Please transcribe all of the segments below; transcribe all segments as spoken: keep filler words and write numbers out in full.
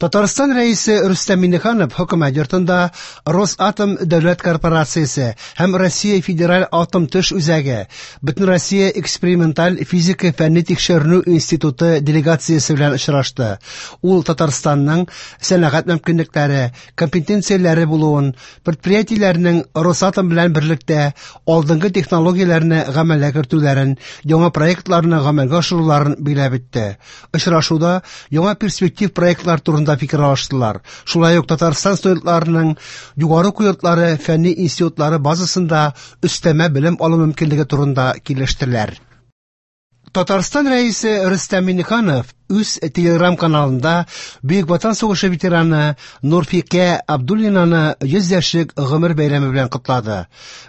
Татарстан Рәисе Рөстәм Миңнеханов Хөкүмәт йортында Росатом дәүләт корпорациясе һәм Россия Федераль атом төш үзәге Бөтенроссия эксперименталь физика фәнни тикшеренү институты делегациясе белән очрашты. Ул Татарстанның сәнәгать мөмкинлекләре, компетенцияләре булуын, предприятиеләрнең Росатом белән берлектә алдынгы технологияләрне гамәлгә кертүләрен, яңа проектларны гамәлгә ашыруларын билгеләп үтте. Очрашуда яңа перспектив проектлар турында фикер алыштылар. Шулай ук Татарстан студентларының югары уку йортлары, фәнни институтлары базасында өстәмә белем алу мөмкинлеге турында килештеләр. Татарстан Рәисе Рөстәм Миңнеханов үз Телеграм каналында Бөек Ватан сугышы ветераны Нурфикә Абдуллинаны йөз яшьлек гомер бәйрәме белән котлады.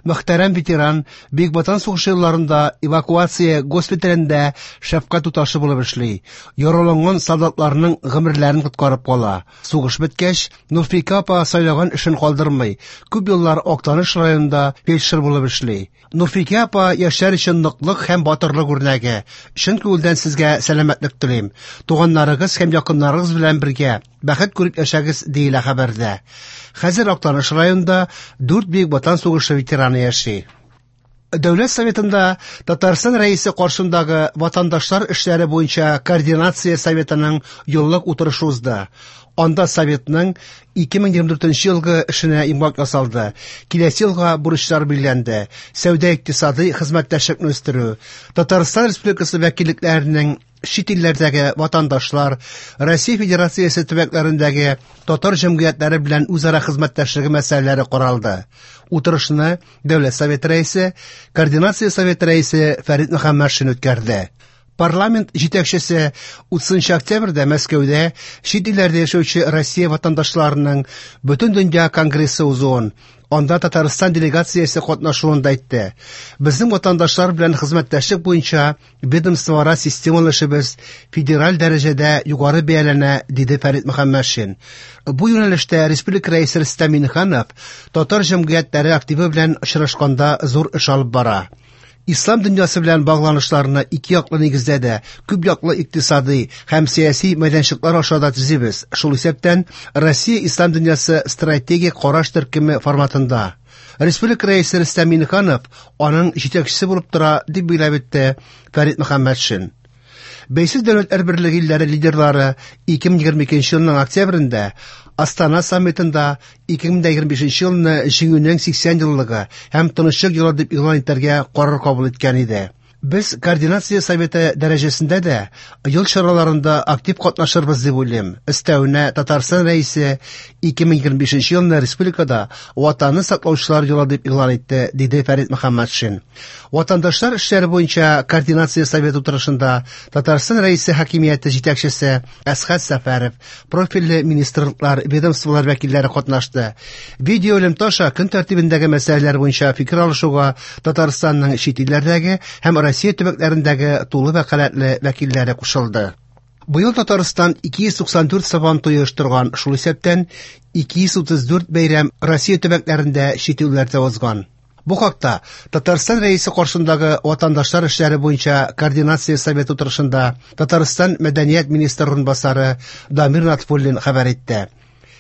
Мөхтәрәм ветеран Бөек Ватан сугышы елларында эвакуация госпиталендә шәфкать туташы булып эшли. Яраланган солдатларның гомерләрен коткарып кала. Сугыш беткәч, Нурфикә апа сайлаган эшен калдырмый. Күп еллар Актаныш районында фельдшер булып эшли. Нурфикә апа яшьләр өчен ныклык һәм батырлык үрнәге. Чын күңелдән сезгә сәламәтлек телим. Туганнарыгыз һәм якыннарыгыз белән бергә бәхет күреп яшәгез, диелә хәбәрдә. Хәзер Актаныш районында дүрт Бөек Ватан сугышы ветераны яши. Дәүләт Советында Татарстан Рәисе каршындагы ватандашлар эшләре буенча координация советының еллык утырышы узды. Анда советның ике мең егерме дүртенче елгы эшенә йомгак ясалды. Киләсе елга бурычлар билгеләнде. Сәүдә-икътисади хезмәттәшлекне үстерү, Татарстан Республикасы вәкиллекләренең чит илләрдәге ватандашлар, Россия Федерациясе төбәкләрендәге татар җәмгыятьләре белән үзара хезмәттәшлеге мәсьәләләре каралды. Утырышны Дәүләт Советы рәисе, Координация Советы рәисе Фәрит Мөхәммәтшин үткәрде. Парламент җитәкчесе утызынчы октябрьдә Мәскәүдә чит илләрдә яшәүче Россия ватандашларының Бөтендөнья конгрессы узуын, анда Татарстан делегациясе катнашуын да әйтте. Безнең ватандашлар белән хезмәттәшлек буенча ведомствоара системалы эшебез федераль дәрәҗәдә югары бәяләнә, диде Фәрит Мөхәммәтшин. Бу юнәлештә республика рәисе Рөстәм Миңнеханов татар җәмгыятьләре активы белән очрашканда зур эш алып бара. Ислам дөньясы белән багланышларны ике яклы нигездә дә, күп яклы икътисади һәм сәяси мәйданчыклар аша да төзибез. Шул исәптән Россия Ислам дөньясы стратегик караш төркеме форматында. Республика рәисе Рөстәм Миңнеханов аның җитәкчесе булып тора, дип билгеләп үтте Фәрит Мөхәммәтшин. Бәйсез дәүләтләр берлеге илләре лидерлары ике мең егерме икенче елның октябрендә Астана саммитында ике мең егерме бишенче елны Җиңүнең сиксән еллыгы һәм тынычлык елы дип игълан итәргә карар кабул иткән иде. Без координация советы дәрәҗәсендә дә ел чараларында актив катнашырбыз дип уйлыйм. Өстәвенә Татарстан рәисе ике мең егерме бишенче елны республикада Ватанны саклаучылар елы дип игълан итте, диде Фәрит Мөхәммәтшин. Ватандашлар эшләре буенча координация советы утырышында Татарстан рәисе хакимияте җитәкчесе Әсхәт Сәфәров, профильле министрлыклар, ведомстволар вәкилләре катнашты. Видео элемтә аша көн тәртибендәге мәсьәләләр буенча фикер алышуга Татарстанның чит илләрдәге һәм Россия төбәкләрендәге тулы вәкаләтле вәкилләре кушылды. Быел Татарстан ике йөз туксан дүрт сабан туе оештырган, шул исәптән ике йөз утыз дүрт бәйрәм Россия төбәкләрендә чит илләрдә узган. Бу хакта Татарстан рәисе каршындагы ватандашлар эшләре буенча координация советы утырышында Татарстан мәдәният министры урынбасары Дамир Натфуллин хәбәр итте.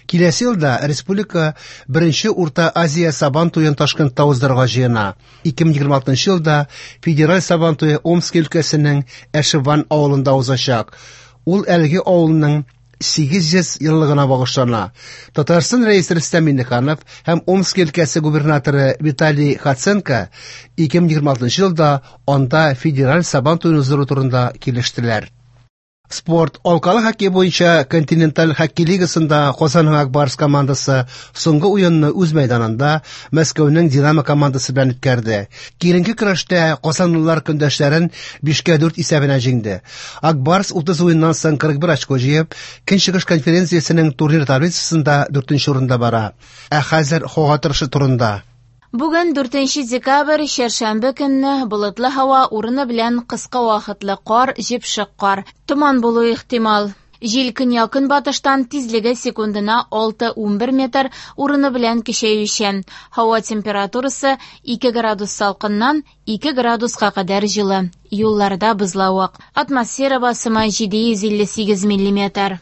Киләсе елда республика беренче Урта Азия Сабан туен Ташкентта уздырырга җыена. Ике мең егерме алтынчы елда федераль Сабан туе Омск өлкәсенең Әшеван авылында узачак. Ул әлеге авылның сигез йөз еллыгына багышлана. Татарстан рәисе Рөстәм Миңнеханов һәм Омск өлкәсе губернаторы Виталий Хоценко ике мең егерме алтынчы елда анда федераль Сабан туен уздыру турында килештеләр. Спорт. Алкалы хоккей буенча континенталь хоккей лигасында Казанның Ак Барс командасы соңгы уенны үз мәйданында Мәскәүнең Динамо командасы белән үткәрде. Киеренке көрәштә казанлылар көндәшләрен бишкә дүрт исәбенә җиңде. Ак Барс утыз уеннан соң кырык бер очко җыеп, Көнчыгыш конференциясенең турнир таблицасында дүртенче урында бара. Ә хәзер һава торышы турында. Бүген дүртенче декабрь, чәршәмбе көнне болытлы һава урыны белән кыска вакытлы кар, җепшек кар, томан булу ихтимал. Җил көньяк-көнбатыштан тизлеге секундына алты унбер метр, урыны белән көчәючән. Һава температурасы ике градус салкыннан ике градуска кадәр җылы. Юлларда бозлавык. Атмосфера басымы җиде йөз илле сигез миллиметр.